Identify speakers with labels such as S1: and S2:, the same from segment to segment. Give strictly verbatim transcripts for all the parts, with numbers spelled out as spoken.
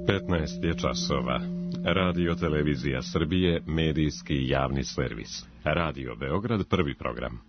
S1: petnaest je časova. Radio Televizija Srbije, medijski javni servis. Radio Beograd, prvi program.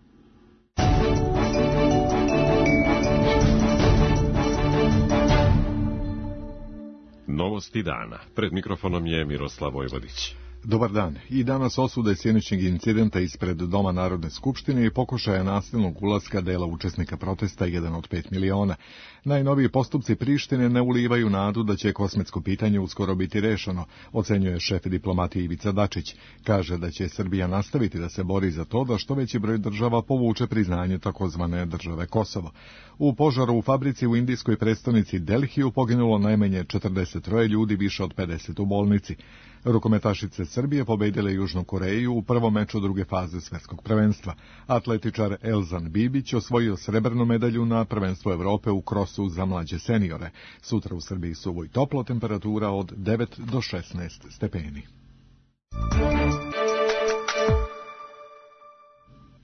S1: Novosti dana. Pred mikrofonom je Miroslav Vojvodić.
S2: Dobar dan. I danas osude sinoćnjeg incidenta ispred Doma Narodne skupštine i pokušaja nasilnog ulaska dela učesnika protesta jedan od pet miliona. Najnoviji postupci Prištine ne ulivaju nadu da će kosmetsko pitanje uskoro biti rešeno, ocenjuje šef diplomatije Ivica Dačić. Kaže da će Srbija nastaviti da se bori za to da što veći broj država povuče priznanje takozvane države Kosovo. U požaru u fabrici u indijskoj prestonici Delhiju poginulo najmanje četrdeset troje ljudi, više od pedeset u bolnici. Rukometašice Srbije pobedile Južnu Koreju u prvom meču druge faze svetskog prvenstva. Atletičar Elzan Bibić osvojio srebrnu medalju na prvenstvu Evrope u krosu za mlađe seniore. Sutra u Srbiji suvo i toplo, temperatura od devet do šesnaest stepeni.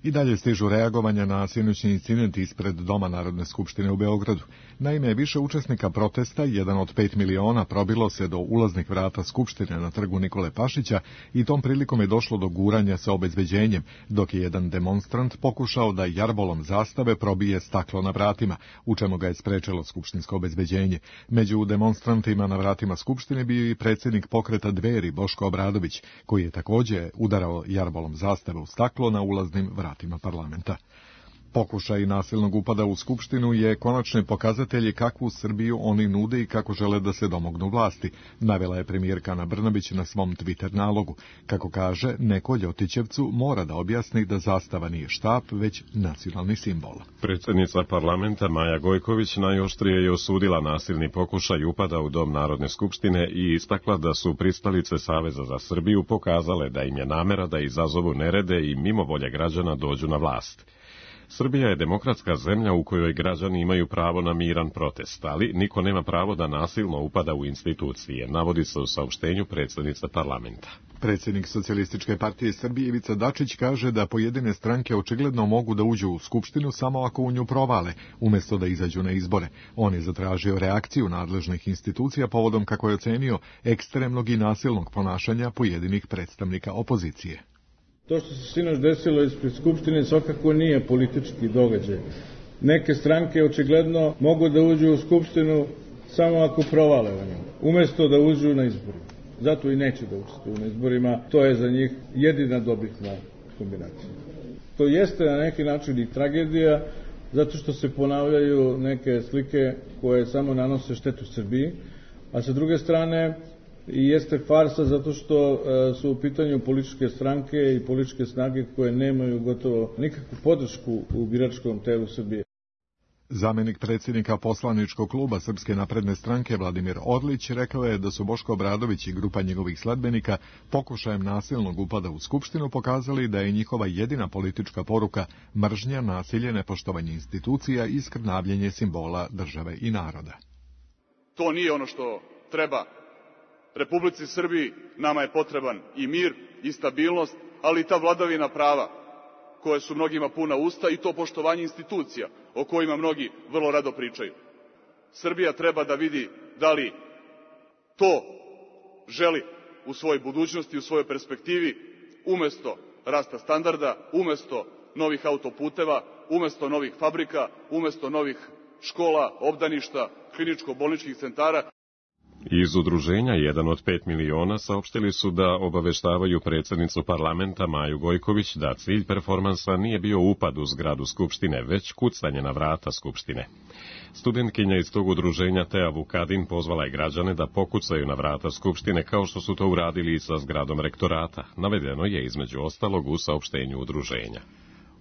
S2: I dalje stižu reagovanja na sinoćni incident ispred Doma Narodne skupštine u Beogradu. Naime, više učesnika protesta, jedan od pet miliona, probilo se do ulaznih vrata Skupštine na trgu Nikole Pašića i tom prilikom je došlo do guranja sa obezbeđenjem, dok je jedan demonstrant pokušao da jarbolom zastave probije staklo na vratima, u čemu ga je sprečilo skupštinsko obezbeđenje. Među demonstrantima na vratima Skupštine bio i predsjednik pokreta Dveri Boško Obradović, koji je također udarao jarbolom zastave u staklo na ulaznim vratima parlamenta. Pokušaj nasilnog upada u Skupštinu je konačni pokazatelj kakvu Srbiju oni nude i kako žele da se domognu vlasti, navela je premijerka Ana Brnabić na svom Twitter nalogu. Kako kaže, neko Ljotićevcu mora da objasni da zastava nije štap, već nacionalni simbol.
S1: Predsjednica parlamenta Maja Gojković najoštrije je osudila nasilni pokušaj upada u Dom Narodne skupštine i istakla da su pristalice Saveza za Srbiju pokazale da im je namera da izazovu nerede i mimo volje građana dođu na vlast. Srbija je demokratska zemlja u kojoj građani imaju pravo na miran protest, ali niko nema pravo da nasilno upada u institucije, navodi se u saopštenju predsjednice parlamenta.
S2: Predsjednik Socijalističke partije Srbije Ivica Dačić kaže da pojedine stranke očigledno mogu da uđu u Skupštinu samo ako u nju provale, umjesto da izađu na izbore. On je zatražio reakciju nadležnih institucija povodom, kako je ocenio, ekstremnog i nasilnog ponašanja pojedinih predstavnika opozicije.
S3: To što se sinoć desilo ispred Skupštine svakako nije politički događaj. Neke stranke očigledno mogu da uđu u Skupštinu samo ako provale o njemu, umjesto da uđu na izborima. Zato i neće da učestvuju na izborima, to je za njih jedina dobitna kombinacija. To jeste na neki način i tragedija, zato što se ponavljaju neke slike koje samo nanose štetu Srbiji, a sa druge strane i jeste farsa zato što su u pitanju političke stranke i političke snage koje nemaju gotovo nikakvu podršku u biračkom telu Srbije.
S2: Zamenik predsjednika poslaničkog kluba Srpske napredne stranke Vladimir Orlić rekao je da su Boško Obradović i grupa njegovih sledbenika pokušajem nasilnog upada u Skupštinu pokazali da je njihova jedina politička poruka mržnja, nasilje, nepoštovanje institucija i skrnavljenje simbola države i naroda.
S4: To nije ono što treba Republici Srbiji. Nama je potreban i mir i stabilnost, ali i ta vladavina prava koje su mnogima puna usta i to poštovanje institucija o kojima mnogi vrlo rado pričaju. Srbija treba da vidi da li to želi u svojoj budućnosti, u svojoj perspektivi, umesto rasta standarda, umesto novih autoputeva, umesto novih fabrika, umesto novih škola, obdaništa, kliničko-bolničkih centara.
S1: Iz udruženja jedan od pet miliona saopštili su da obaveštavaju predsjednicu parlamenta Maju Gojković da cilj performansa nije bio upad u zgradu Skupštine, već kucanje na vrata Skupštine. Studentkinja iz tog udruženja Tea Vukadin pozvala je građane da pokucaju na vrata Skupštine kao što su to uradili i sa zgradom rektorata. Navedeno je između ostalog u saopštenju udruženja.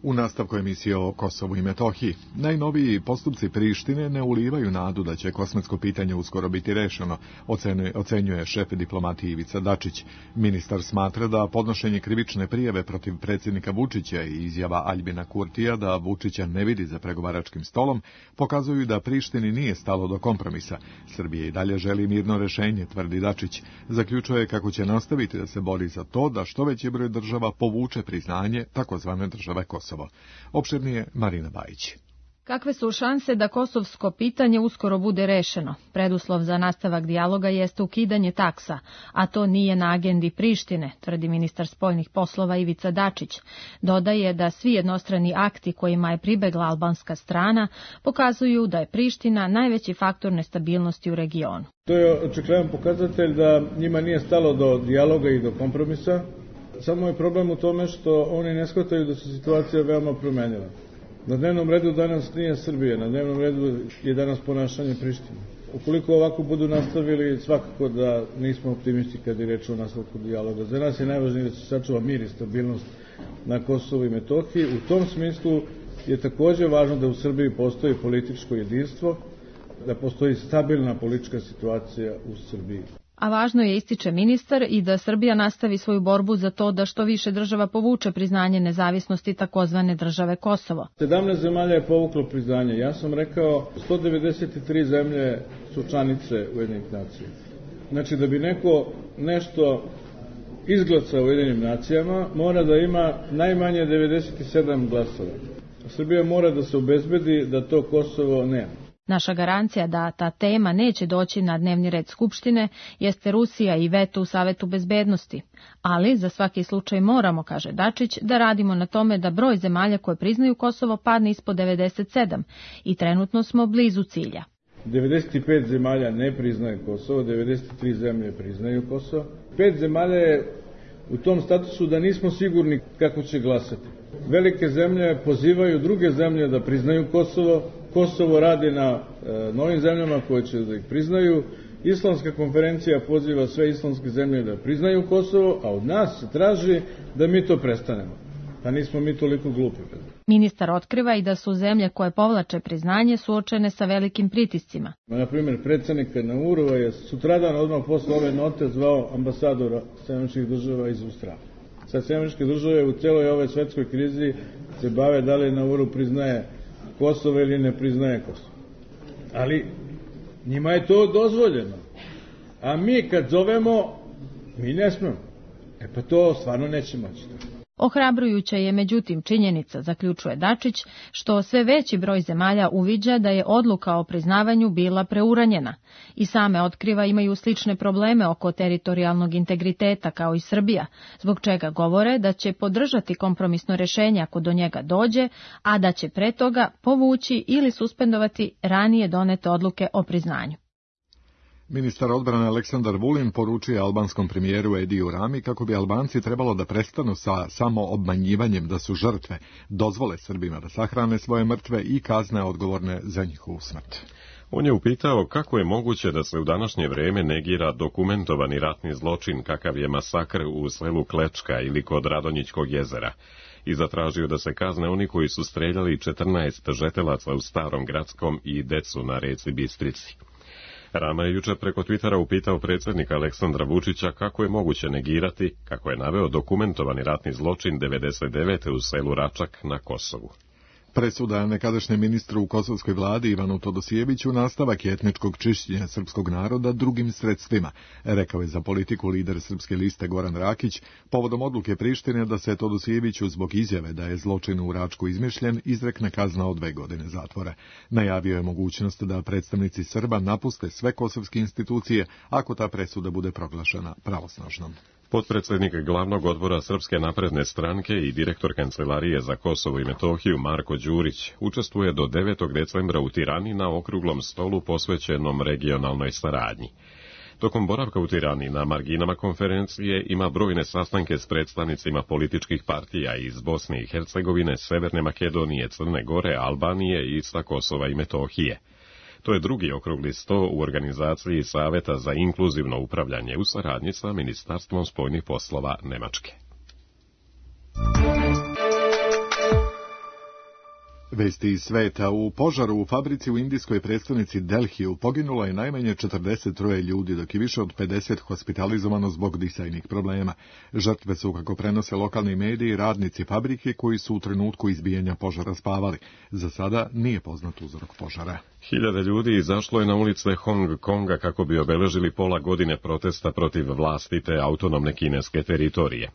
S2: U nastavku emisije o Kosovu i Metohiji, najnoviji postupci Prištine ne ulivaju nadu da će kosmetsko pitanje uskoro biti rešeno, ocenjuje, ocenjuje šef diplomatije Ivica Dačić. Ministar smatra da podnošenje krivične prijave protiv predsjednika Vučića i izjava Aljbina Kurtija da Vučića ne vidi za pregovaračkim stolom pokazuju da Prištini nije stalo do kompromisa. Srbija i dalje želi mirno rešenje, tvrdi Dačić. Zaključuje kako će nastaviti da se bori za to da što veći broj država povuče priznanje takozvane države Kosovo. Opširnije Marina Bajić.
S5: Kakve su šanse da kosovsko pitanje uskoro bude rešeno? Preduslov za nastavak dijaloga jeste ukidanje taksa, a to nije na agendi Prištine, tvrdi ministar spoljnih poslova Ivica Dačić. Dodaje da svi jednostrani akti kojima je pribegla albanska strana pokazuju da je Priština najveći faktor nestabilnosti u regionu.
S3: To je očigledan pokazatelj da njima nije stalo do dijaloga i do kompromisa. Samo je problem u tome što oni ne shvataju da se situacija veoma promenila. Na dnevnom redu danas nije Srbija, na dnevnom redu je danas ponašanje Prištine. Ukoliko ovako budu nastavili, svakako da nismo optimisti kad je reč o nastavku dijaloga. Za nas je najvažnije da se sačuva mir i stabilnost na Kosovu i Metohiji. U tom smislu je također važno da u Srbiji postoji političko jedinstvo, da postoji stabilna politička situacija u Srbiji.
S5: A važno je, ističe ministar, i da Srbija nastavi svoju borbu za to da što više država povuče priznanje nezavisnosti takozvane države Kosovo.
S3: sedamnaest zemalja je povuklo priznanje. Ja sam rekao sto devedeset tri zemlje su članice Ujedinjenih nacija. Znači da bi neko nešto izglasao u Ujedinjenim nacijama, mora da ima najmanje devedeset sedam glasova. Srbija mora da se obezbedi da to Kosovo nema.
S5: Naša garancija da ta tema neće doći na dnevni red Skupštine jeste Rusija i veto u Savetu bezbednosti. Ali za svaki slučaj moramo, kaže Dačić, da radimo na tome da broj zemalja koje priznaju Kosovo padne ispod devedeset sedam i trenutno smo blizu cilja.
S3: devedeset pet zemalja ne priznaje Kosovo, devedeset tri zemlje priznaju Kosovo. Pet zemalja je u tom statusu da nismo sigurni kako će glasati. Velike zemlje pozivaju druge zemlje da priznaju Kosovo. Kosovo radi na e, novim zemljama koje će da ih priznaju. Islamska konferencija poziva sve islamske zemlje da priznaju Kosovo, a od nas se traži da mi to prestanemo. Pa nismo mi toliko glupi.
S5: Ministar otkriva i da su zemlje koje povlače priznanje suočene sa velikim pritiscima.
S3: Na primjer, predsjednika Naurova je sutradan odmah posle ove note zvao ambasadora Sjedinjenih Američkih Država iz Australije. Sad Sjedinjene Američke Države u celoj ove svetskoj krizi se bave da li Nauru priznaje Kosovo ili ne priznaje Kosovo. Ali njima je to dozvoljeno. A mi kad zovemo, mi ne smemo. E pa to stvarno neće moći.
S5: Ohrabrujuća je međutim činjenica, zaključuje Dačić, što sve veći broj zemalja uviđa da je odluka o priznavanju bila preuranjena. I same otkriva imaju slične probleme oko teritorijalnog integriteta kao i Srbija, zbog čega govore da će podržati kompromisno rešenje ako do njega dođe, a da će pre toga povući ili suspendovati ranije donete odluke o priznanju.
S2: Ministar odbrane Aleksandar Vulin poručuje albanskom premijeru Ediju Rami kako bi Albanci trebalo da prestanu sa samo obmanjivanjem da su žrtve, dozvole Srbima da sahrane svoje mrtve i kazne odgovorne za njihovu smrt.
S1: On je upitao kako je moguće da se u današnje vreme negira dokumentovani ratni zločin kakav je masakr u selu Klečka ili kod Radonjićkog jezera i zatražio da se kazne oni koji su streljali četrnaest žetelaca u Starom Gradskom i decu na reci Bistrici. Rama je jučer preko Twittera upitao predsjednika Aleksandra Vučića kako je moguće negirati, kako je naveo dokumentovani ratni zločin devedeset devete u selu Račak na Kosovu.
S2: Presuda nekadašnjem ministru u kosovskoj vladi Ivanu Todosijeviću nastavak je etničkog čišćenja srpskog naroda drugim sredstvima, rekao je za politiku lider Srpske liste Goran Rakić, povodom odluke Prištine da se Todosijeviću zbog izjave da je zločin u Račku izmišljen izrekne kazna od dve godine zatvora. Najavio je mogućnost da predstavnici Srba napuste sve kosovske institucije ako ta presuda bude proglašena pravosnažnom.
S1: Potpredsjednik glavnog odbora Srpske napredne stranke i direktor Kancelarije za Kosovo i Metohiju Marko Đurić učestvuje do devetog decembra u Tirani na okruglom stolu posvećenom regionalnoj saradnji. Tokom boravka u Tirani na marginama konferencije ima brojne sastanke s predstavnicima političkih partija iz Bosne i Hercegovine, Severne Makedonije, Crne Gore, Albanije i sa Kosova i Metohije. To je drugi okrugli sto u organizaciji Saveta za inkluzivno upravljanje u saradnji sa Ministarstvom spoljnih poslova Nemačke.
S2: Vesti iz sveta. U požaru u fabrici u indijskoj prestonici Delhiju poginulo je najmanje četrdeset troje ljudi, dok je više od pedeset hospitalizovano zbog disajnih problema. Žrtve su, kako prenose lokalni mediji, radnici fabrike koji su u trenutku izbijanja požara spavali. Za sada nije poznat uzrok požara.
S1: Hiljade ljudi izašlo je na ulice Hong Konga kako bi obeležili pola godine protesta protiv vlastite autonomne kineske teritorije.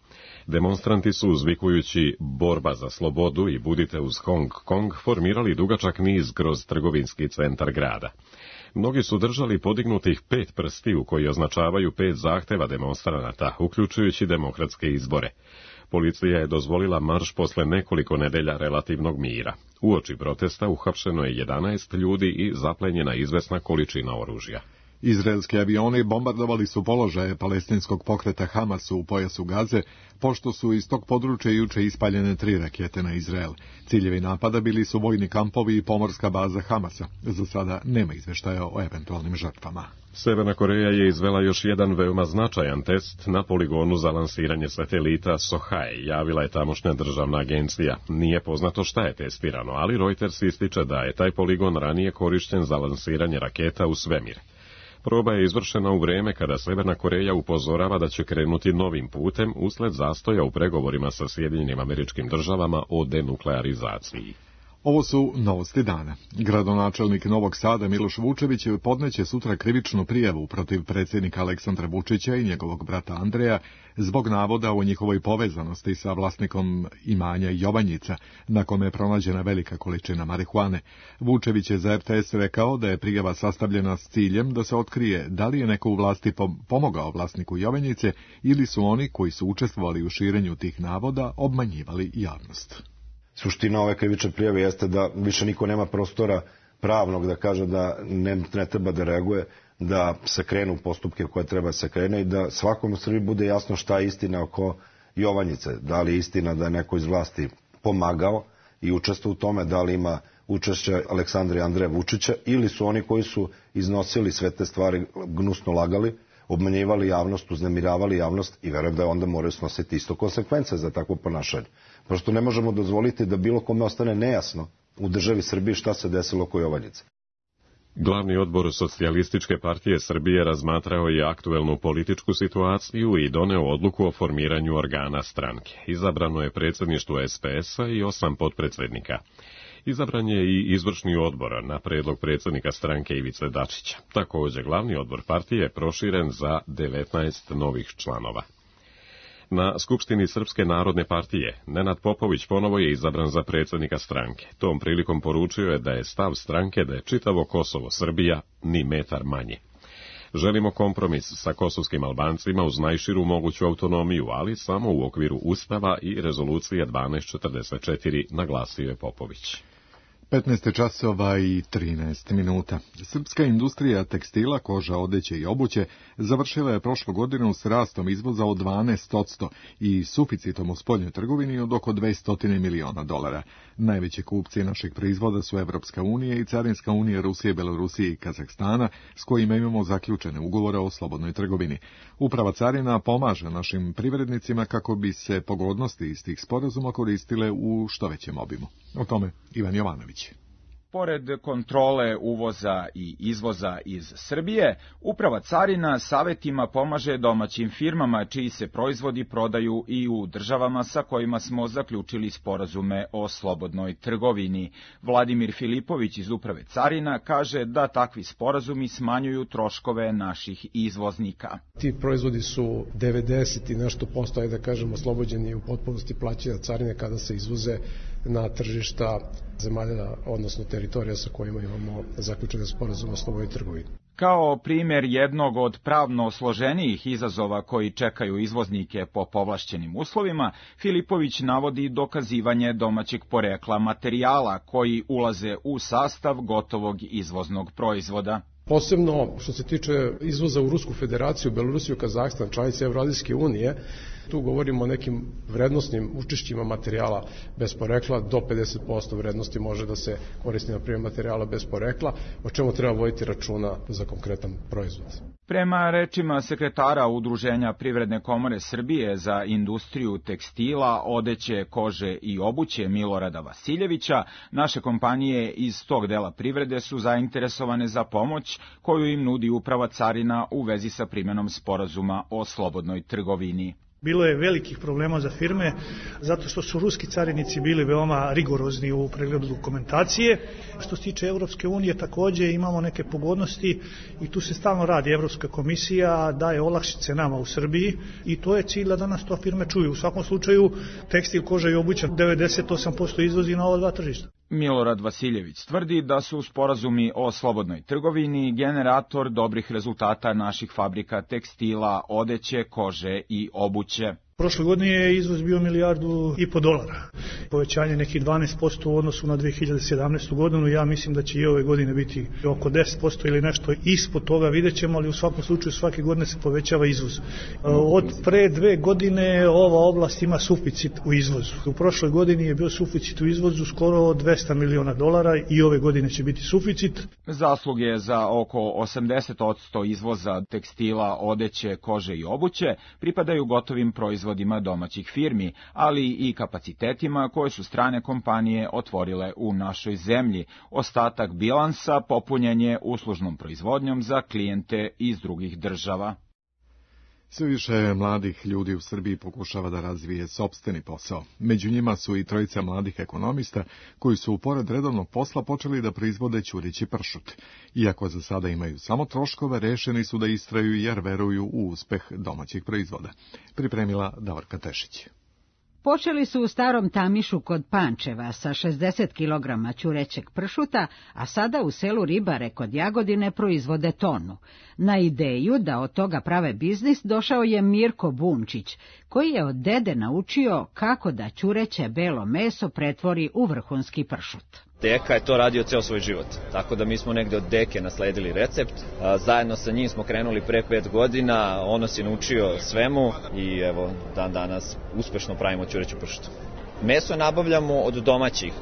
S1: Demonstranti su uzvikujući borba za slobodu i budite uz Hong Kong Ping-pong formirali dugačak niz kroz trgovinski centar grada. Mnogi su držali podignutih pet prstiju koji označavaju pet zahteva demonstranata, uključujući demokratske izbore. Policija je dozvolila marš posle nekoliko nedelja relativnog mira. Uoči protesta uhapšeno je jedanaest ljudi i zaplenjena izvesna količina oružja.
S2: Izraelski avioni bombardovali su položaje palestinskog pokreta Hamasu u pojasu Gaze, pošto su iz tog područja juče ispaljene tri rakete na Izrael. Ciljevi napada bili su vojni kampovi i pomorska baza Hamasa. Za sada nema izveštaja o eventualnim žrtvama.
S1: Severna Koreja je izvela još jedan veoma značajan test na poligonu za lansiranje satelita Sohae, javila je tamošnja državna agencija. Nije poznato šta je testirano, ali Reuters ističe da je taj poligon ranije korišten za lansiranje raketa u svemir. Proba je izvršena u vreme kada Severna Koreja upozorava da će krenuti novim putem usled zastoja u pregovorima sa Sjedinjenim Američkim Državama o denuklearizaciji.
S2: Ovo su novosti dana. Gradonačelnik Novog Sada Miloš Vučević podneće sutra krivičnu prijavu protiv predsjednika Aleksandra Vučića i njegovog brata Andreja zbog navoda o njihovoj povezanosti sa vlasnikom imanja Jovanjica, na kome je pronađena velika količina marihuane. Vučević je za R T S rekao da je prijava sastavljena s ciljem da se otkrije da li je neko u vlasti pomogao vlasniku Jovanjice ili su oni koji su učestvovali u širenju tih navoda obmanjivali javnost.
S6: Suština ove krivične prijave jeste da više niko nema prostora pravnog da kaže da ne, ne treba da reaguje, da se krenu postupke koje treba se krene i da svakom u Srbiji bude jasno šta je istina oko Jovanjice. Da li je istina da je neko iz vlasti pomagao i učestvovao u tome, da li ima učešće Aleksandra i Andreja Vučića ili su oni koji su iznosili sve te stvari, gnusno lagali, obmanjivali javnost, uznemiravali javnost i verujem da onda moraju snositi isto konsekvence za takvo ponašanje. Prosto ne možemo dozvoliti da bilo kome ostane nejasno u državi Srbiji šta se desilo oko Jovanjice.
S1: Glavni odbor Socijalističke partije Srbije razmatrao je aktuelnu političku situaciju i doneo odluku o formiranju organa stranke. Izabrano je predsjedništvo S P S-a i osam potpredsjednika. Izabran je i izvršni odbor na predlog predsjednika stranke Ivice Dačića. Također, glavni odbor partije je proširen za devetnaest novih članova. Na Skupštini Srpske narodne partije Nenad Popović ponovo je izabran za predsjednika stranke. Tom prilikom poručio je da je stav stranke da je čitavo Kosovo Srbija ni metar manje. Želimo kompromis sa kosovskim Albancima uz najširu moguću autonomiju, ali samo u okviru Ustava i rezolucije dvanaest četrdeset četiri, naglasio je Popović.
S2: petnaest časova i trinaest minuta. Srpska industrija tekstila, koža, odeće i obuće završila je prošlu godinu s rastom izvoza od dvanaest posto i suficitom u spoljnoj trgovini od oko dvesta miliona dolara. Najveći kupci naših proizvoda su Evropska unija i Carinska unija Rusije, Belorusije i Kazahstana, s kojima imamo zaključene ugovore o slobodnoj trgovini. Uprava carina pomaže našim privrednicima kako bi se pogodnosti iz tih sporazuma koristile u što većem obimu. O tome Ivan Jovanović.
S7: Pored kontrole uvoza i izvoza iz Srbije, Uprava carina savetima pomaže domaćim firmama čiji se proizvodi prodaju i u državama sa kojima smo zaključili sporazume o slobodnoj trgovini. Vladimir Filipović iz Uprave carina kaže da takvi sporazumi smanjuju troškove naših izvoznika.
S8: Ti proizvodi su devedeset i nešto posto, da kažemo, oslobođeni u potpunosti plaćanja carine kada se izvoze na tržišta zemalja, odnosno teritorija sa kojima imamo zaključene sporazume o slobodnoj trgovini.
S7: Kao primjer jednog od pravno složenijih izazova koji čekaju izvoznike po povlašćenim uslovima, Filipović navodi dokazivanje domaćeg porekla materijala koji ulaze u sastav gotovog izvoznog proizvoda.
S8: Posebno što se tiče izvoza u Rusku federaciju, Belorusiju, Kazahstan, članice Evroazijske unije, tu govorimo o nekim vrednostnim učešćima materijala bez porekla, do pedeset posto vrednosti može da se koristi na primjer materijala bez porekla, o čemu treba voditi računa za konkretan proizvod.
S7: Prema rečima sekretara Udruženja Privredne komore Srbije za industriju tekstila, odeće, kože i obuće Milorada Vasiljevića, naše kompanije iz tog dela privrede su zainteresovane za pomoć koju im nudi Uprava carina u vezi sa primjenom sporazuma o slobodnoj trgovini.
S9: Bilo je velikih problema za firme, zato što su ruski carinici bili veoma rigorozni u pregledu dokumentacije. Što se tiče Evropske unije, također imamo neke pogodnosti i tu se stalno radi. Evropska komisija daje olakšice nama u Srbiji i to je cilj da danas to firme čuju. U svakom slučaju, tekstil, koža i obuća devedeset osam posto izvozi na ova dva tržišta.
S7: Milorad Vasiljević tvrdi da su sporazumi o slobodnoj trgovini generator dobrih rezultata naših fabrika tekstila, odeće, kože i obuće.
S9: Prošle godine je izvoz bio milijardu i po dolara. Povećanje nekih dvanaest posto u odnosu na dve hiljade sedamnaestu godinu. Ja mislim da će i ove godine biti oko deset posto ili nešto ispod toga, vidjet ćemo, ali u svakom slučaju svake godine se povećava izvoz. Od pre dve godine ova oblast ima suficit u izvozu. U prošloj godini je bio suficit u izvozu skoro dvesta miliona dolara i ove godine će biti suficit.
S7: Zasluge za oko osamdeset posto izvoza tekstila, odeće, kože i obuće pripadaju gotovim proizvodima domaćih firmi, ali i kapacitetima koje su strane kompanije otvorile u našoj zemlji. Ostatak bilansa popunjen je uslužnom proizvodnjom za klijente iz drugih država.
S2: Sve više mladih ljudi u Srbiji pokušava da razvije sopstveni posao. Među njima su i trojica mladih ekonomista koji su pored redovnog posla počeli da proizvode ćurići pršut. Iako za sada imaju samo troškove, rešeni su da istraju jer veruju u uspeh domaćih proizvoda. Pripremila Davorka Tešić.
S10: Počeli su u Starom Tamišu kod Pančeva sa šezdeset kilograma ćurećeg pršuta, a sada u selu Ribare kod Jagodine proizvode tonu. Na ideju da od toga prave biznis došao je Mirko Bunčić, koji je od dede naučio kako da ćureće belo meso pretvori u vrhunski pršut.
S11: Deka je to radio ceo svoj život, tako da mi smo negde od deke nasledili recept. Zajedno sa njim smo krenuli pre pet godina, on nas je naučio svemu i evo dan danas uspešno pravimo ćureću pršutu. Meso nabavljamo od domaćih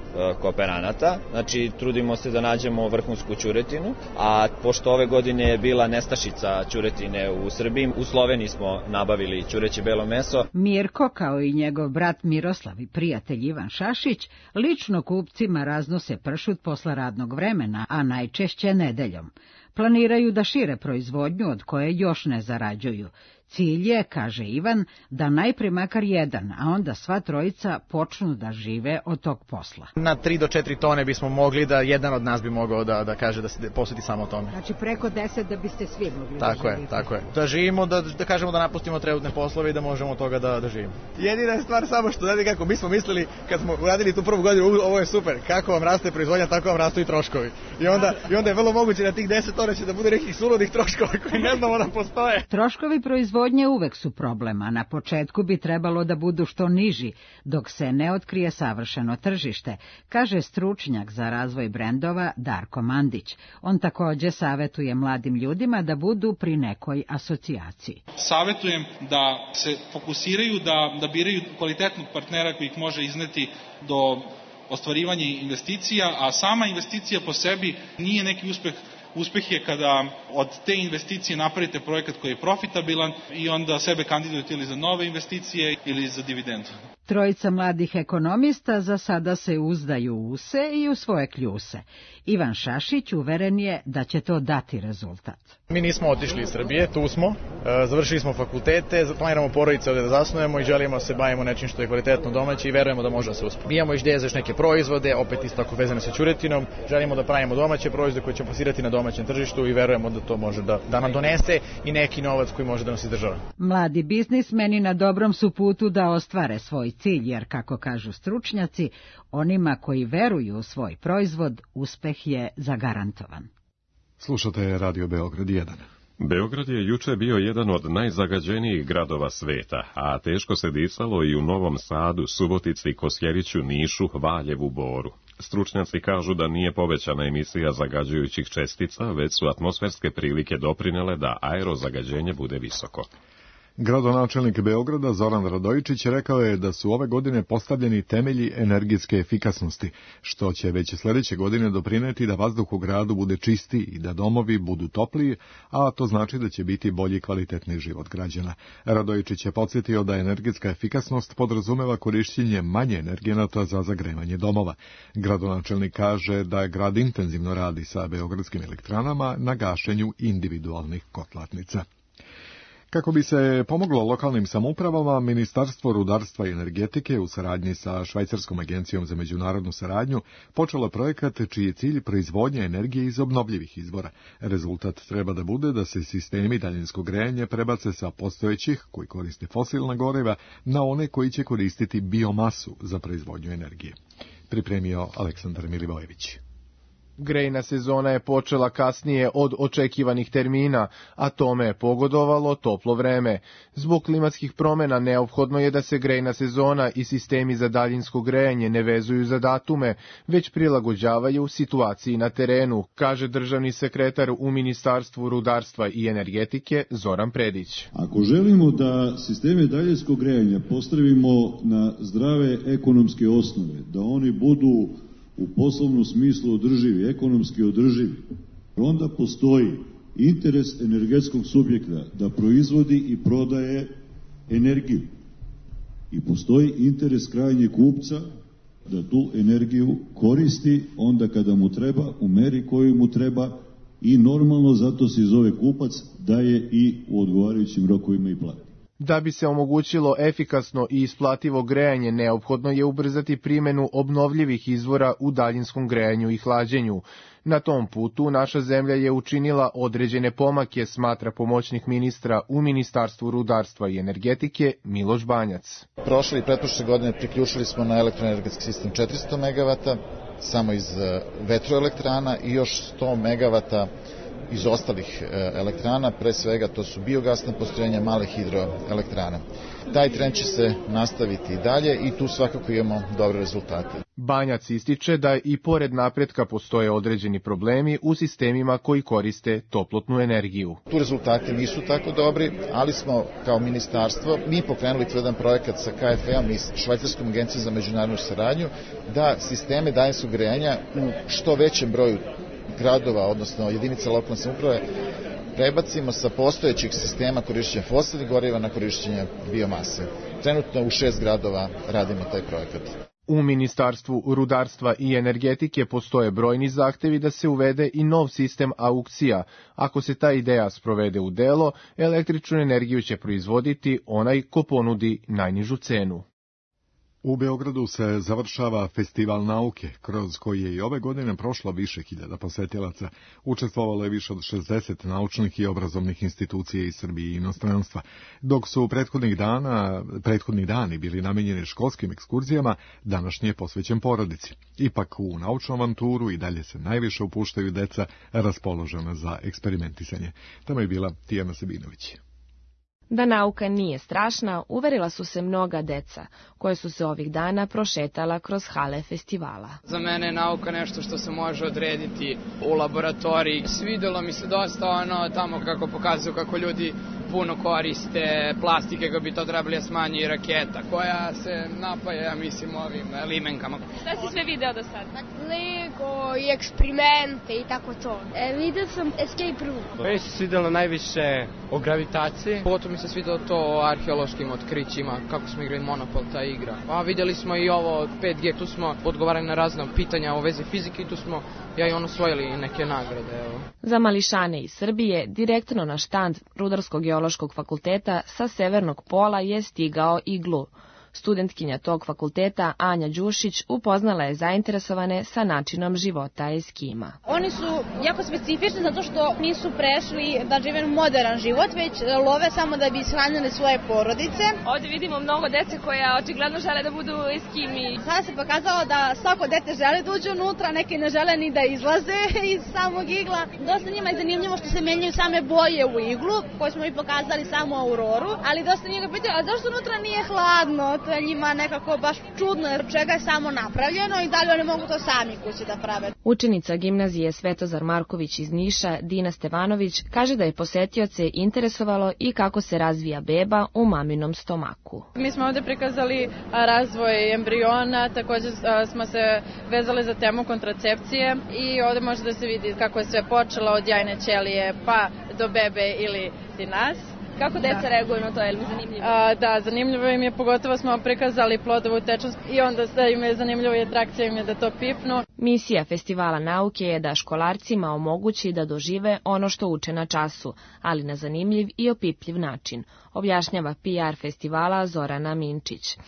S11: kooperanata, znači trudimo se da nađemo vrhunsku ćuretinu, a pošto ove godine je bila nestašica ćuretine u Srbiji, u Sloveniji smo nabavili ćureće belo meso.
S10: Mirko, kao i njegov brat Miroslav i prijatelj Ivan Šašić, lično kupcima raznose pršut posle radnog vremena, a najčešće nedeljom. Planiraju da šire proizvodnju od koje još ne zarađuju. Cilj je, kaže Ivan, da najpre makar jedan, a onda sva trojica počnu da žive od tog posla.
S12: Na tri do četiri tone bismo mogli da jedan od nas bi mogao da, da kaže da se posveti samo tome.
S10: Znači preko deset da biste svi mogli
S12: tako da živite. Tako je, tako je. Da živimo, da, da kažemo da napustimo trenutne poslove i da možemo od toga da, da živimo. Jedina je stvar samo što, znate kako, mi smo mislili kad smo uradili tu prvu godinu, ovo je super, kako vam raste proizvodnja, tako vam rastu i troškovi. I onda, i onda je vrlo moguće na tih deset tona će da bude nekih suludih troškova koji ne znamo da postoje.
S10: Troškovi proizvodnje uvek su problem, a na početku bi trebalo da budu što niži, dok se ne otkrije savršeno tržište, kaže stručnjak za razvoj brendova Darko Mandić. On takođe savetuje mladim ljudima da budu pri nekoj asocijaciji.
S13: Savetujem da se fokusiraju, da, da biraju kvalitetnog partnera koji ih može izneti do ostvarivanja investicija, a sama investicija po sebi nije neki uspeh. Uspeh je kada od te investicije napravite projekat koji je profitabilan i onda sebe kandidujete ili za nove investicije ili za dividendu.
S10: Trojica mladih ekonomista za sada se uzdaju u se i u svoje kljuse. Ivan Šašić uveren je da će to dati rezultat.
S12: Mi nismo otišli iz Srbije, tu smo, završili smo fakultete, planiramo porodice ovde da zasnujemo i želimo se bavimo nečim što je kvalitetno domaće i verujemo da može da se uspe. Mi imamo ideje za još neke proizvode, opet isto tako vezane sa ćuretinom, želimo da pravimo domaće proizvode koje ćemo plasirati na domaćem tržištu i verujemo da to može da, da nam donese i neki novac koji može da nas izdržava.
S10: Mladi biznismeni na dobrom su putu da ostvare svoj cilj, jer, kako kažu stručnjaci, onima koji veruju u svoj proizvod, uspeh je zagarantovan.
S2: Slušate Radio Beograd jedan.
S1: Beograd je juče bio jedan od najzagađenijih gradova sveta, a teško se disalo i u Novom Sadu, Subotici, Kosjeriću, Nišu, Valjevu, Boru. Stručnjaci kažu da nije povećana emisija zagađujućih čestica, već su atmosferske prilike doprinele da aerozagađenje bude visoko.
S2: Gradonačelnik Beograda Zoran Radojičić rekao je da su ove godine postavljeni temelji energetske efikasnosti, što će već sledeće godine doprineti da vazduh u gradu bude čistiji i da domovi budu topliji, a to znači da će biti bolji kvalitetni život građana. Radojičić je podsjetio da energetska efikasnost podrazumeva korišćenje manje energenata za zagrevanje domova. Gradonačelnik kaže da je grad intenzivno radi sa beogradskim elektranama na gašenju individualnih kotlarnica. Kako bi se pomoglo lokalnim samoupravama, Ministarstvo rudarstva i energetike u saradnji sa Švajcarskom agencijom za međunarodnu saradnju počelo projekat čiji je cilj proizvodnja energije iz obnovljivih izvora. Rezultat treba da bude da se sistemi daljinskog grejanja prebace sa postojećih, koji koriste fosilna goriva, na one koji će koristiti biomasu za proizvodnju energije. pripremio Aleksandar Milivojević.
S14: Grejna sezona je počela kasnije od očekivanih termina, a tome je pogodovalo toplo vreme. Zbog klimatskih promena neophodno je da se grejna sezona i sistemi za daljinsko grejanje ne vezuju za datume, već prilagođavaju situaciji na terenu, kaže državni sekretar u Ministarstvu rudarstva i energetike Zoran Predić.
S15: Ako želimo da sisteme daljinskog grejanja postavimo na zdrave ekonomske osnove, da oni budu u poslovnom smislu održivi, ekonomski održivi, onda postoji interes energetskog subjekta da proizvodi i prodaje energiju. I postoji interes krajnjeg kupca da tu energiju koristi onda kada mu treba, u meri koju mu treba i normalno zato se zove kupac da je i u odgovarajućim rokovima i plati.
S14: Da bi se omogućilo efikasno i isplativo grejanje, neophodno je ubrzati primenu obnovljivih izvora u daljinskom grejanju i hlađenju. Na tom putu naša zemlja je učinila određene pomake, smatra pomoćnik ministra u Ministarstvu rudarstva i energetike Miloš Banjac.
S16: Prošle i pretprošle godine priključili smo na elektroenergetski sistem četiristo megavata, samo iz vetroelektrana i još sto megavata iz ostalih elektrana, pre svega to su biogasna postrojenja, male hidroelektrane. Taj trend će se nastaviti i dalje i tu svakako imamo dobre rezultate.
S14: Banjac ističe da i pored napretka postoje određeni problemi u sistemima koji koriste toplotnu energiju.
S16: Tu rezultati nisu tako dobri, ali smo kao ministarstvo mi pokrenuli jedan projekat sa K F E-om i Švajcarskom agencijom za međunarodnu saradnju da sisteme daljinskog grejanja u što većem broju gradova, odnosno jedinica lokalne samouprave, prebacimo sa postojećih sistema korišćenja fosilnih goriva na korišćenje biomase. Trenutno u šest gradova radimo taj projekat.
S14: U Ministarstvu rudarstva i energetike postoje brojni zahtevi da se uvede i nov sistem aukcija. Ako se ta ideja sprovede u delo, električnu energiju će proizvoditi onaj ko ponudi najnižu cenu.
S2: U Beogradu se završava Festival nauke, kroz koji je i ove godine prošlo više hiljada posetilaca. Učestvovalo je više od šezdeset naučnih i obrazovnih institucija iz Srbije i inostranstva. Dok su prethodnih dana, prethodni dani bili namenjeni školskim ekskurzijama, današnji je posvećen porodici. Ipak u naučnu avanturu i dalje se najviše upuštaju deca raspoložena za eksperimentisanje. Tamo je bila Tijana Sebinović.
S17: Da nauka nije strašna, uverila su se mnoga deca, koje su se ovih dana prošetala kroz hale festivala.
S18: Za mene je nauka nešto što se može odrediti u laboratoriji. Svidelo mi se dosta ono tamo kako pokazuju kako ljudi puno koriste plastike kako bi to trebali da smanji i raketa koja se napaja, ja mislim, ovim limenkama.
S19: Šta si sve video do sada? Lego i eksperimente i tako to. E, vidio sam Escape Room.
S18: Meni se svidelo najviše o gravitaciji. Potom mi se svidelo to o arheološkim otkrićima, kako smo igrali Monopol, ta igra. A vidjeli smo i ovo pet G, tu smo odgovarali na razne pitanja o vezi fizike i tu smo ja i on osvojili neke nagrade. Evo.
S17: Za mališane iz Srbije direktno na štand Rudarsko-geološkog fakulteta sa severnog pola je stigao iglu. Studentkinja tog fakulteta, Anja Đušić, upoznala je zainteresovane sa načinom života Eskima.
S20: Oni su jako specifični zato što nisu prešli da žive modern život, već love samo da bi ishranili svoje porodice.
S19: Ovdje vidimo mnogo dece koja očigledno žele da budu Eskimi.
S20: Sada se pokazalo da svako dete želi da uđe unutra, neki ne žele ni da izlaze iz samog igla. Dosta njima je zanimljivo što se menjaju same boje u iglu, koje smo i pokazali samo Auroru, ali dosta njega pitaju, a zašto unutra nije hladno? To je njima nekako baš čudno, jer čega je samo napravljeno i da li oni mogu to sami kući da prave.
S17: Učenica gimnazije Svetozar Marković iz Niša, Dina Stevanović, kaže da je posetioce interesovalo i kako se razvija beba u maminom stomaku.
S21: Mi smo ovdje prikazali razvoj embriona, također smo se vezali za temu kontracepcije i ovdje može da se vidi kako je sve počelo od jajne ćelije pa do bebe ili ti nas.
S19: Kako deca da. reaguju na to, je li mi zanimljivo?
S21: A, da, zanimljivo im je, pogotovo smo prikazali plodovu tečnost i onda da im je zanimljivo i atrakcija im je da to pipnu.
S17: Misija Festivala nauke je da školarcima omogući da dožive ono što uče na času, ali na zanimljiv i opipljiv način, objašnjava P R festivala Zorana Minčić.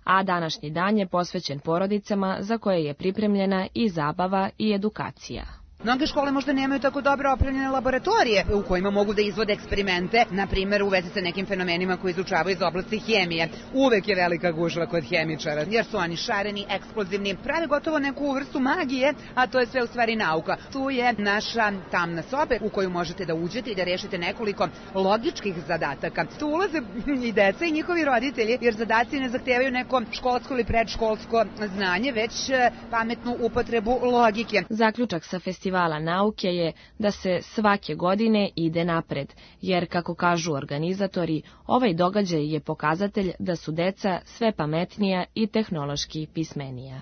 S17: A današnji dan je posvećen porodicama za koje je pripremljena i zabava i edukacija.
S4: Mnoge škole možda nemaju tako dobro opremljene laboratorije u kojima mogu da izvode eksperimente, na primjer u vezi sa nekim fenomenima koji izučavaju iz oblasti hemije. Uvek je velika gužva kod hemičara, jer su oni šareni, eksplozivni, prave gotovo neku vrstu magije, a to je sve u stvari nauka. Tu je naša tamna soba u koju možete da uđete i da rešite nekoliko logičkih zadataka. Tu ulaze i deca i njihovi roditelji, jer zadaci ne zahtevaju neko školsko ili predškolsko znanje, već pametnu upotrebu logike.
S17: Zaključak sa festivala nauke je da se svake godine ide napred, jer, kako kažu organizatori, ovaj događaj je pokazatelj da su deca sve pametnija i tehnološki pismenija.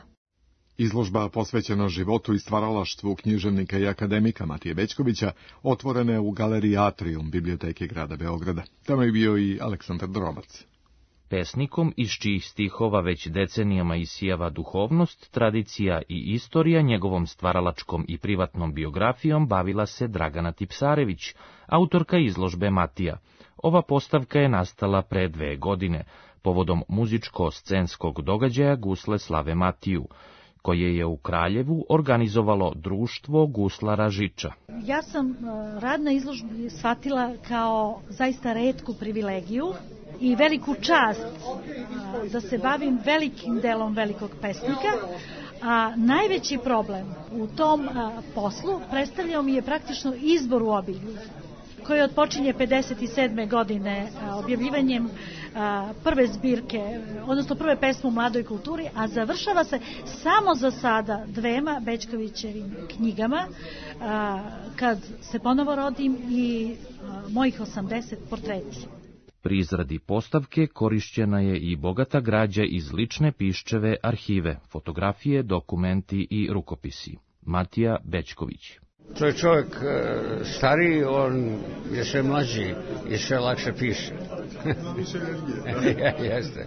S2: Izložba posvećena životu i stvaralaštvu književnika i akademika Matije Bećkovića otvorena je u galeriji Atrium Biblioteke grada Beograda. Tamo je bio i Aleksandar Drobac.
S22: Pesnikom iz čijih stihova već decenijama isijava duhovnost, tradicija i istorija, njegovom stvaralačkom i privatnom biografijom bavila se Dragana Tipsarević, autorka izložbe Matija. Ova postavka je nastala pre dve godine, povodom muzičko-scenskog događaja Gusle slave Matiju, koje je u Kraljevu organizovalo društvo guslara Žiča.
S23: Ja sam rad na izložbi shvatila kao zaista retku privilegiju i veliku čast da se bavim velikim delom velikog pesnika, a najveći problem u tom poslu predstavljao mi je praktično izbor u obilju, koji odpočinje pedeset sedme godine objavljivanjem prve zbirke, odnosno prve pesme u mladoj kulturi, a završava se samo za sada dvema Bećkovićevim knjigama, Kad se ponovo rodim i mojih osamdeset portreti.
S22: Pri izradi postavke korišćena je i bogata građa iz lične Piščeve arhive, fotografije, dokumenti i rukopisi. Matija Bećković.
S24: To je čovjek stariji, on je sve mlađi i sve lakše piše. Jeste.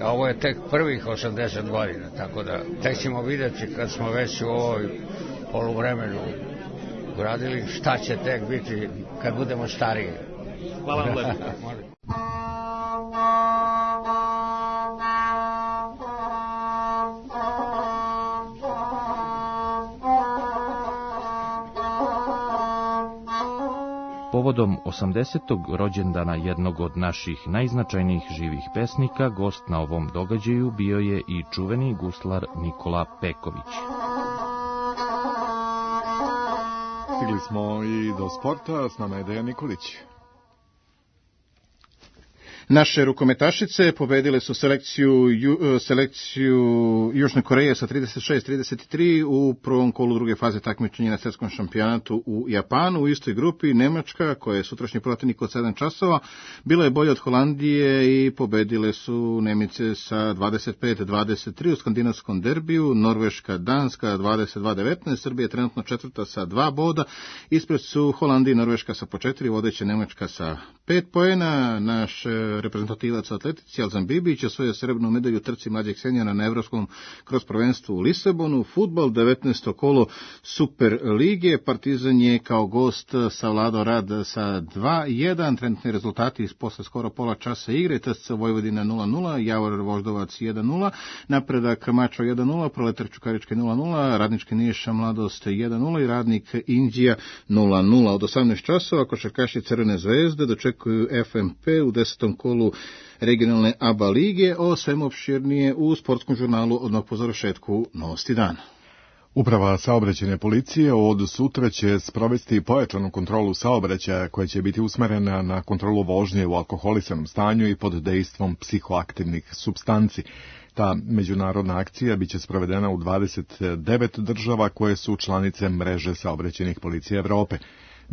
S24: Ovo je tek prvih osamdeset godina, tako da tek ćemo vidjeti kad smo već u ovoj poluvremenu uradili šta će tek biti kad budemo stariji.
S22: Hvala vam lepo. Povodom osamdesetog rođendana jednog od naših najznačajnijih živih pesnika, gost na ovom događaju bio je i čuveni guslar Nikola Peković.
S2: Stigli smo i do sporta, s nama je Dejan Nikolić.
S25: Naše rukometašice pobedile su selekciju, ju, selekciju Južne Koreje sa trideset šest trideset tri u prvom kolu druge faze takmičenja na svjetskom šampionatu u Japanu. U istoj grupi Nemačka, koja je sutrašnji protivnik od sedam časova, bila je bolja od Holandije i pobedile su Nemice sa dvadeset pet dvadeset tri u skandinavskom derbiju. Norveška, Danska dvadeset dva devetnaest, Srbija je trenutno četvrta sa dva boda. Ispred su Holandija i Norveška sa po četiri, vodeća Nemačka sa pet poena. Naš reprezentativac u atletici Alzan Bibić osvojio srebrnu medalju u trci mlađeg senjora na evropskom kroz prvenstvu u Lisabonu. Fudbal, devetnaesto kolo Super lige. Partizan je kao gost savladao Rad sa dva jedan. Trenutni rezultati posle skoro pola časa igre. T S C Vojvodina nula nula, Javor Voždovac jedan nula, Napredak Mačva jedan nula, Proletar Čukarički nula nula, Radnički Niša Mladost jedan nula i Radnik Inđija nula nula. Od osamnaest časova košarkaši Crvene zvezde dočekuju F M P u desetom kolu regionalne A B A lige. O svemu opširnije u sportskom žurnalu odmah po završetku Novosti dana.
S2: Uprava saobraćajne policije od sutra će sprovesti pojačanu kontrolu saobraćaja koja će biti usmerena na kontrolu vožnje u alkoholisanom stanju i pod dejstvom psihoaktivnih supstanci. Ta međunarodna akcija biće sprovedena u dvadeset devet država koje su članice mreže saobraćajnih policija Evrope.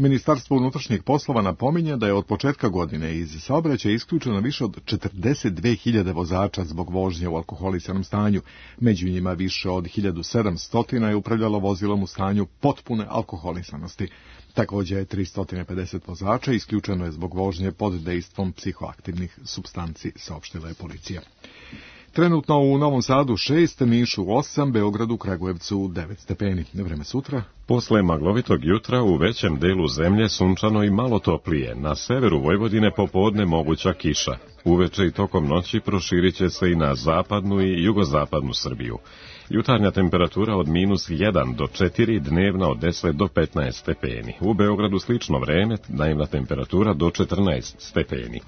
S2: Ministarstvo unutrašnjih poslova napominje da je od početka godine iz saobraćaja isključeno više od četrdeset dve hiljade vozača zbog vožnje u alkoholisanom stanju. Među njima više od hiljadu sedamsto je upravljalo vozilom u stanju potpune alkoholisanosti. Također je tristo pedeset vozača isključeno je zbog vožnje pod dejstvom psihoaktivnih supstanci, saopštila je policija. Trenutno u Novom Sadu šest, Nišu osam, Beogradu, Kragujevcu devet stepeni. Vreme sutra.
S1: Posle maglovitog jutra u većem delu zemlje sunčano i malo toplije. Na severu Vojvodine popodne moguća kiša. Uveče i tokom noći proširit će se i na zapadnu i jugozapadnu Srbiju. Jutarnja temperatura od minus jedan do četiri, dnevna od deset do petnaest stepeni. U Beogradu slično vreme, dnevna temperatura do četrnaest stepeni.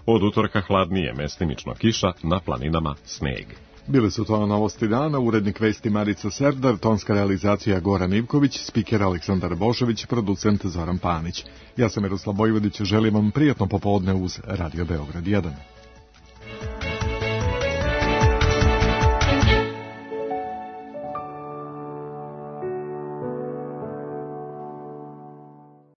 S1: Od utorka hladnije, mestimično kiša, na planinama sneg.
S2: Bile su to novosti dana, urednik vesti Marica Serdar, tonska realizacija Goran Ivković, spiker Aleksandar Bošović, producent Zoran Panić. Ja sam Miroslav Vojvodić, želim vam prijatno popodne uz Radio Beograd jedan.